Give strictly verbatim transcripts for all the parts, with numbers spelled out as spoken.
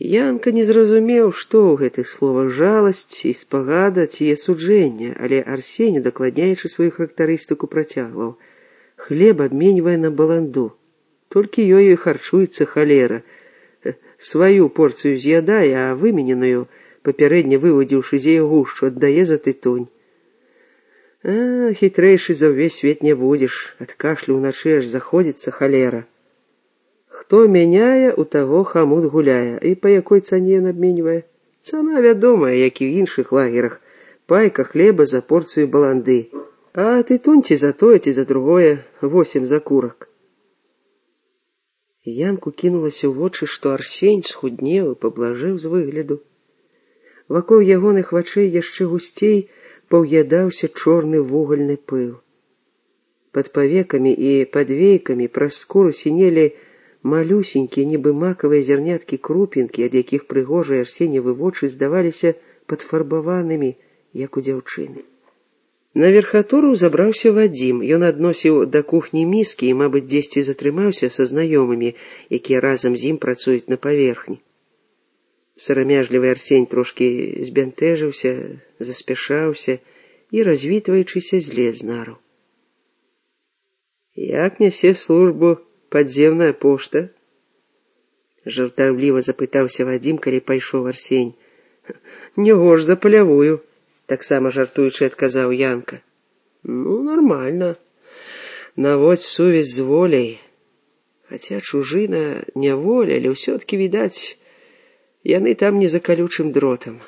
Янка не зразумеў, што ў гэтых словах жаласць і спагада ці асуджэнне, але Арсеній, дакладняючы сваю характарыстыку, працягваў: хлеб абменьвае на баланду. Толькі ёю і харчуецца халера. Сваю порцыю з'ядае, а вымененую, папярэдне вывадзіўшы з яе гушчу, аддае за тытунь. А, хітрэйшы за ўвесь свет не будзеш, ад кашлю ўначы аж заходзіцца халера. Хто мяняе, у таго хамут гуляе. І па якой цане ён абменьвае? Цана вядомая, як і ў іншых лагерах. Пайка хлеба за порцыю баланды. А тытунь ці за тое, ці за другое, восем закурак. Янку кінулася ў вочы, што Арсень схуднеў і паблажэў з выгляду. Вакол ягоных вачэй яшчэ гусцей паўядаўся чорны вугальны пыл. Пад павекамі і пад вейкамі праз скуру сінелі малюсенькія, нібы макавыя зярняткі крупінкі, ад якіх прыгожыя Арсеньевы вочы здаваліся падфарбаванымі, як у дзяўчыны. На верхатуру забраўся Вадзім. Ён адносіў да кухні міскі і, мабыць, дзесьці затрымаўся са знаёмымі, якія разам з ім працуюць на паверхні. Сарамяжлівы Арсень трошкі збянтэжыўся, заспяшаўся і, развітваючыся, злез з нару. Як нясе службу падземная пошта? Жартаўліва запытаўся Вадзім, калі пайшоў Арсень. Не горш за палявую, таксама жартуючы адказаў Янка. Ну, нармальна. Наводзь сувязь з воляй. Хаця чужына не воля, але ўсё-ткі, відаць, яны там не за калючым дротам.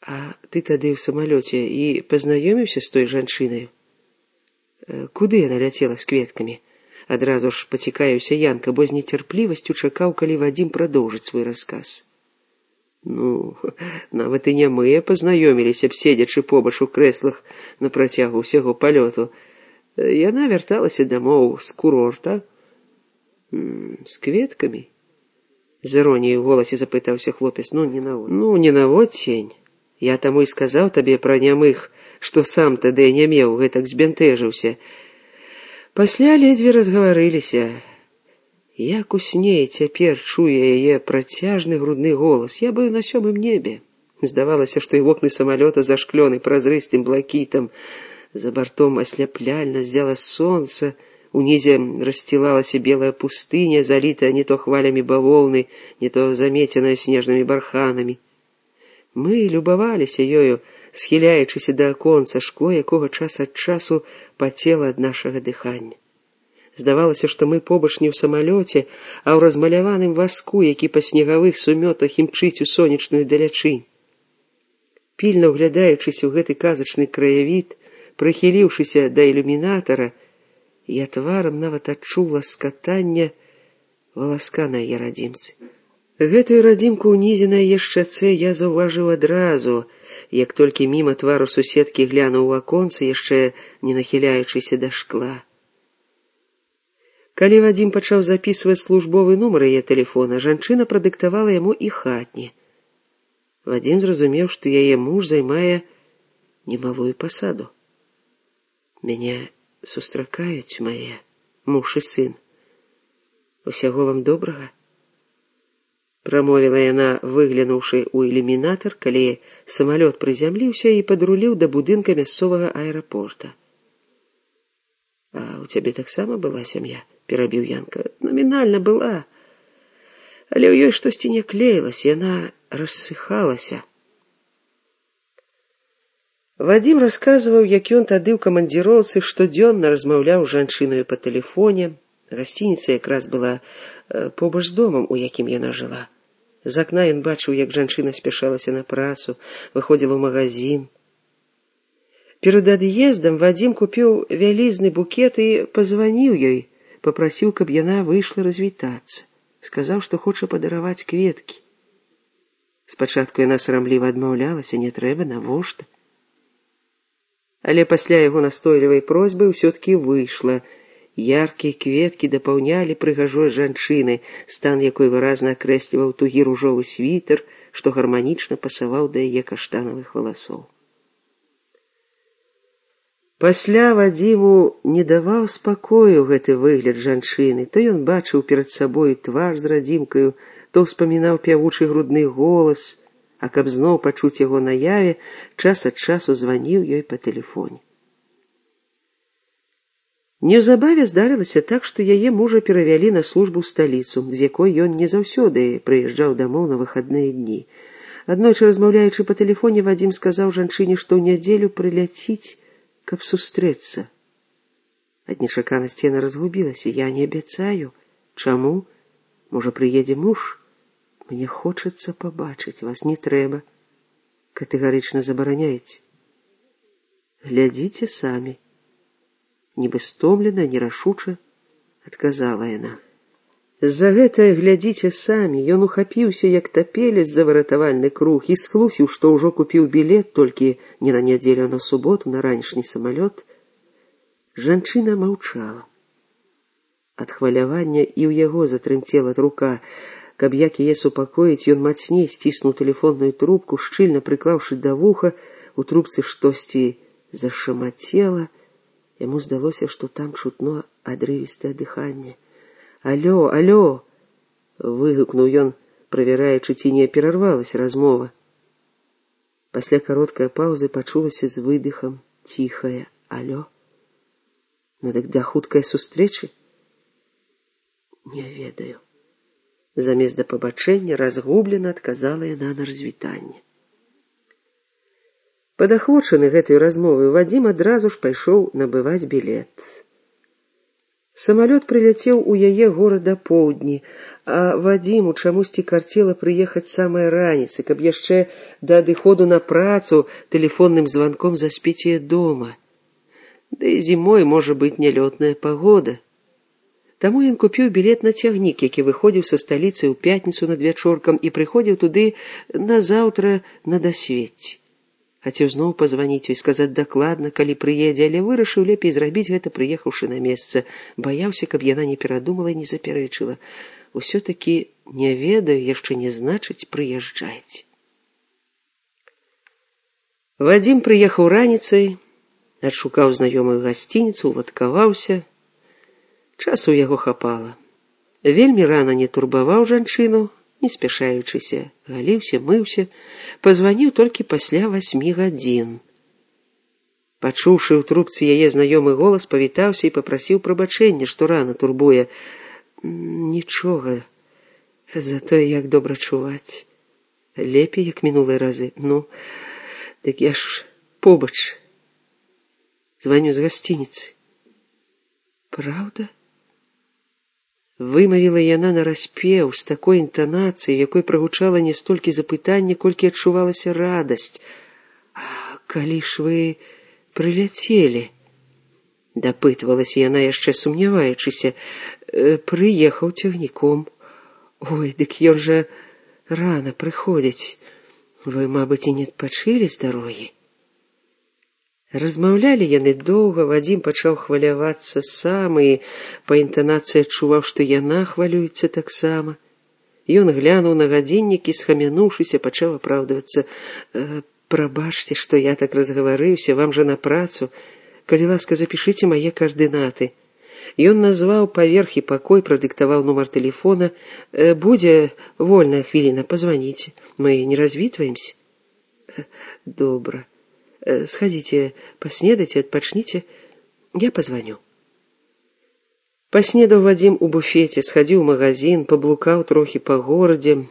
А ты тады ў самалёце і пазнаёміўся з той жанчынаю? Куды яна ляцела з кветкамі? Адразу ж пацікаюся Янка, бо з нецярплівасцю чакаў, калі Вадзім прадоўжыць свой расказ. Ну, нават і не мы пазнаёміліся б, седзячы побач у крэслах на працягу ўсяго палёту. Яна вярталася дамоў з курорта. З кветкамі? З іроніяй у голасе запытаўся хлопец. Ну, не навод. Ну, не навод, Сень. Я таму і сказаў табе пра нямых, што сам тады не меў, гэтак збянтэжыўся. Пасля ледзьве разгаварыліся. Як у сне цяпер чуе яе працяжны грудны голас. Я быў на сёмым небе. Здавалася, што і вокны самалёта зашклёны празрыстым блакітам. За бартом асляпляльна ззяла сонца, унізе рассцілалася белая пустыня, залітая не то хвалямі бавоўны, не то замеценая снежнымі барханамі. Мы любаваліся ёю, схіляючыся да аконца, шкло якога час ад часу пацела ад нашага дыхання. Здавалася, што мы побач не ў самалёце, а ў размаляваным васку, які па снегавых сумётах імчыць у сонечную далячынь. Пільна ўглядаючыся ў гэты казачны краявід, прыхіліўшыся да ілюмінатара, я тварам нават адчула скатання валаска на яе радзімцы. Гэтую радзімку ўнізе на яе шчацэ я заўважыў адразу, як толькі міма твару суседкі глянуў у аконца, яшчэ не нахіляючыся да шкла. Калі Вадзім пачаў запісваць службовы нумар яе тэлефона, жанчына прадыктавала яму і хатні. Вадзім зразумеў, што яе муж займае немалую пасаду. Мяне сустракаюць мае муж і сын. Усяго вам добрага? Прамовіла яна, выглянуўшы ў ілюмінатар, калі самалёт прызямліўся і падруліў да будынка мясцовага аэрапорта. А у цябе таксама была сям'я? Перабіў Янка. Номінальна была, але ў ёй штосьці не клеілася, яна рассыхалася. Вадзім расказваў, як ён тады ў камандзіроўцы штодзённа размаўляў з жанчынаю па тэлефоне. Гасцініца якраз была побач з домам, у якім яна жыла. З акна ён бачыў, як жанчына спяшалася на працу, выходзіла ў магазин. Перад ад'ездам Вадзім купіў вялізны букет і пазваніў ёй, папрасіў, каб яна выйшла развітацца. Сказаў, што хоча падараваць кветкі. Спачатку яна сарамліва адмаўлялася, не трэба, навошта. Але пасля яго настойлівай просьбы ўсё-ткі выйшла. Яркія кветкі дапаўнялі прыгажосць жанчыны, стан якой выразна акрэсліваў тугі ружовы світер, што гарманічна пасаваў да яе каштанавых валасоў. Пасля Вадзіму не даваў спакою гэты выгляд жанчыны. То ён бачыў перад сабой твар з радзімкаю, то ўспамінаў пявучы грудны голас, а каб зноў пачуць яго наяве, час ад часу званіў ёй па тэлефоне. Неўзабаве здарылася так, што яе мужа перавялі на службу ў сталіцу, з якой ён не заўсёды прыязджаў дамоў на выхадныя дні. Аднойчы, размаўляючы па тэлефоне, Вадзім сказаў жанчыне, што ў нядзелю прыляціць, каб сустрэцца. Ад нечаканасці яна разгубілася. Я не абяцаю. Чаму? Можа, прыедзе муж? Мне хочацца пабачыць вас. Не трэба. Катэгарычна забараняеце. Глядзіце самі. Нібы стомлена, нерашуча адказала яна. За гэтае глядзіце самі ён ухапіўся, як тапелец за выратавальны круг, і схлусіў, што ўжо купіў білет толькі не на нядзелю, а на суботу, на ранішні самалёт. Жанчына маўчала. Ад хвалявання і ў яго затрымцела рука. Каб як яе супакоіць, ён мацней сціснуў тэлефонную трубку, шчыльна прыклаўшы да вуха, у трубцы штосьці зашамацела. Яму здалося, што там чутно адрывістае дыханне. «Алло, алло!» — выгукнуў ён, правяраючы, ці не перарвалася размова. Пасля кароткай паўзы пачулася з выдыхам ціхае «Алло!» Ну дык да хуткай сустрэчы? Не ведаю. Замест да пабачэння разгублена адказала яна на развітанне. Падахвочаны гэтай размовай, Вадзім адразу ж пайшоў набываць білет. Самалёт прыляцеў у яе горад апоўдні, а Вадзіму чамусьці карцела прыехаць самай раніцы, каб яшчэ да адыходу на працу тэлефонным званком заспець яе дома. Да і зімой можа быць нялётная пагода. Таму ён купіў білет на цягнік, які выходзіў са сталіцы ў пятніцу над вячоркам і прыходзіў туды назаўтра на дасвеце. Хацеў зноў пазваніць ёй, сказаць дакладна, калі прыедзе, але вырашыў лепей зрабіць гэта, прыехаўшы на месца. Баяўся, каб яна не перадумала і не запярэчыла. Усё-такі не ведаю, яшчэ не значыць прыязджайце. Вадзім прыехаў раніцай, адшукаў знаёмую гасцініцу, уладкаваўся. Часу ў яго хапала. Вельмі рана не турбаваў жанчыну, не спяшаючыся, галіўся, мыўся, пазваніў толькі пасля васьмі гадзін. Пачуўшы ў трубцы яе знаёмы голас, павітаўся і папрасіў прабачэння, што рана турбуе. Нічога, затое як добра чуваць. Лепей, як мінулыя разы. Ну, дык я ж побач. Званю з гасцініцы. Праўда? Вымавіла яна нараспеў з такой інтанацыяй, якой прагучала не столькі запытанне, колькі адчувалася радасць. А калі ж вы прыляцелі? Дапытвалася яна, яшчэ сумняваючыся. Прыехаў цягніком. Ой, дык ён жа рана прыходзіць. Вы, мабыць, і не адпачылі з дарогі? Размаўлялі яны доўга, Вадзім пачаў хвалявацца сам і па інтанацыі адчуваў, што яна хвалюецца таксама. Ён глянуў на гадзіннік і, схамянуўшыся, пачаў апраўдвацца. «Прабачце, што я так разгаварыўся, вам жа на працу. Калі ласка, запішыце мае каардынаты». Ён назваў паверх і пакой, прадыктаваў нумар тэлефона. «Будзе вольная хвіліна, пазваніце. Мы не развітваемся?» «Добра. Сходите, поснедайте, отпочните, я позвоню». Поснедаў Вадзім у буфеце, схадзіў у магазин, паблукаў трохі па горадзе.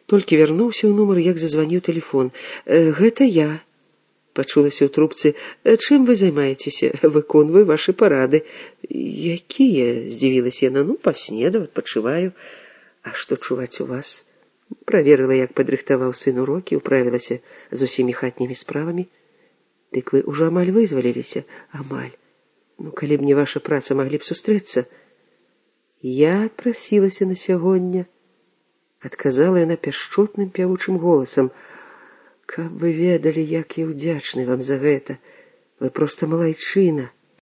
Толькі вярнуўся ў нумар, як зазваніў тэлефон. «Гэта я», — пачулася ў трубцы. «Чым вы займаецеся? Выконваю вашы парады». «Якія?» — здзівілася яна. «Ну, паснедаў, адпачываю». «А што чуваць у вас?» Праверыла, як падрыхтаваў сын урокі, управілася з усімі хатнімі справамі. «Дык вы ўжо амаль вызваліліся?» «Амаль. Ну, калі б не ваша праца, маглі б сустрэцца». «Я адпрасілася на сягоння», — адказала яна пяшчотным пявучым голасам. «Каб вы ведалі, як я ўдзячны вам за гэта. Вы проста малайчына.